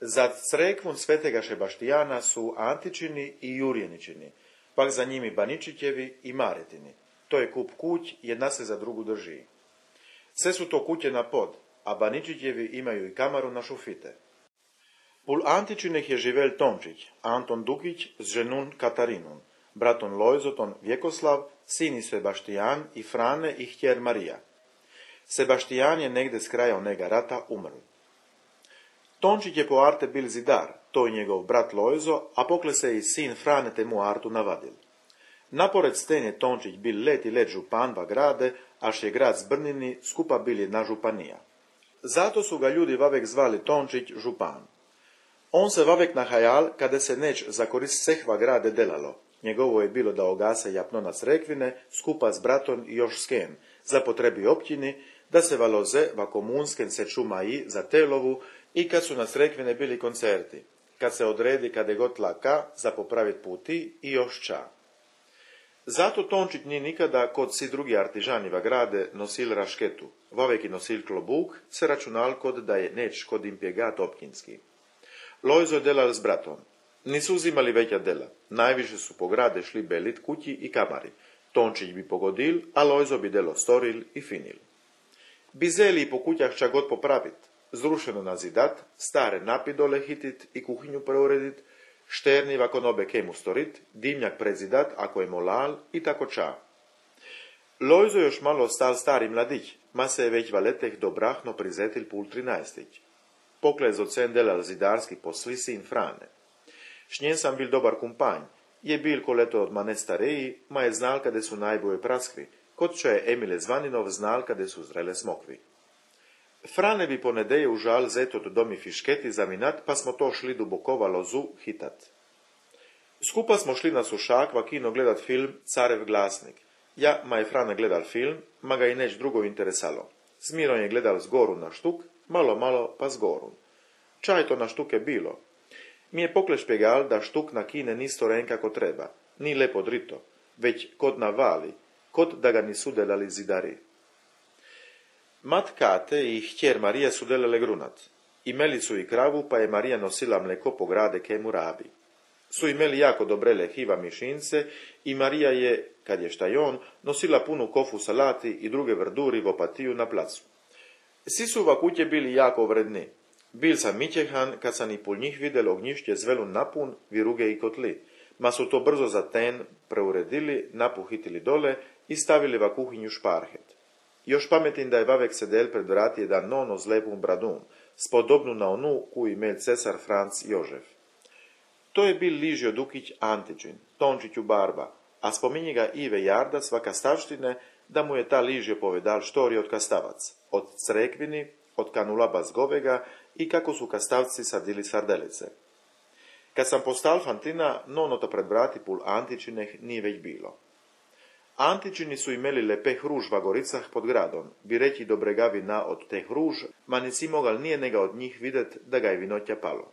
Za crkvun svetega Šebaštijana su Antičini i Jurjeničini, pak za njimi Baničićevi i Maretini. To je kup kuć, jedna se za drugu drži. Sve su to kuće na pod, a Baničićevi imaju i kamaru na šufite. Pul Antičineh je živel Tončić, Anton Dukić s ženun Katarinun, braton Lojzoton Vjekoslav, sin Sebaštijan i Frane i htjer Marija. Sebaštijan je negde s kraja onega rata umrl. Tončić je po arte bil zidar, to je njegov brat Lojzo, a pokle se i sin Frane temu artu navadil. Napored sten je Tončić bil let i let župan va grade, až je grad Zbrnini skupa bil jedna županija. Zato su ga ljudi vavek zvali Tončić župan. On se vavek nahajal kada se neć za korist sehva grade delalo. Njegovo je bilo da ogase japno na Srekvine, skupa s bratom i još sken, za potrebi općini, da se valoze va komunsken se čuma i za telovu i kad su na Srekvine bili koncerti, kad se odredi kade god laka za popravit puti i još ča. Zato Tončić nije nikada kod si drugi artižani va grade nosil rašketu, vavek i nosil klobuk, se računal kod da je neć kod im pjegat općinski. Lojzo je delal s bratom. Nisu uzimali veća dela. Najviše su po grade šli belit kući i kamari. Tončić bi pogodil, a Lojzo bi delo storil i finil. Bizeli i po kućah ča god popravit, zrušeno nazidat, stare napidole hitit i kuhinju preuredit, šterni vakon obe kemu storit, dimnjak prezidat ako je molal i tako ča. Lojzo još malo stal stari mladić, ma se je već valeteh dobrahno prizetil pul 13. Pokle zocen delal zidarski posli sin Frane. Šnjen sam bil dobar kumpanj, je bil koleto od mane stareji, ma je znal kade su najboje praskvi, kod čo je Emile Zvaninov znal kade su zrele smokvi. Frane bi ponedeje užal zet od domi fišketi za minat, pa smo to šli dubokova lozu hitat. Skupa smo šli na Sušak va kino gledat film Carev glasnik. Ja, ma je Frane gledal film, ma ga i neć drugo interesalo. Smiron je gledal zgoru na štuk, malo pa zgoru. Čaj to na štuke bilo. Mi je pokle špegal da štuk na kine ni storen kako treba, ni lepo drito, već kod na vali, kod da ga nisu delali zidari. Mat Kate i htjer Marija su delale grunat. Imeli su i kravu, pa je Marija nosila mleko po grade kemu rabi. Su imeli jako dobrele hiva mišince i Marija je, kad je šta on, nosila punu kofu salati i druge verduri v opatiju na placu. Svi su va kuće bili jako vredni. Bil sam mićehan kad sam i pol njih videl ognjišće zvelu napun, viruge i kotli, ma su to brzo za ten preuredili, napuhitili dole i stavili va kuhinju šparhet. Još pametim da je vavek sedel pred vrati jedan nono z lepum bradum, spodobnu na onu koju imel cesar Franc Jožef. To je bil Ližio Dukić Antičin, Tončiću barba, a spominje ga Ive Jardac va kastavštine da mu je ta Ližio povedal štori od kastavac, od Crekvini, od kanula Bazgovega i kako su kastavci sadili sardelice. Kad sam postal fantina, nonoto pred vrati pul Antičineh nije već bilo. Antičini su imeli lepe hruž va goricah pod gradom, bi reći dobregavi na od te hruž, ma nisi mogal nije nega od njih videt da ga je vinoća palo.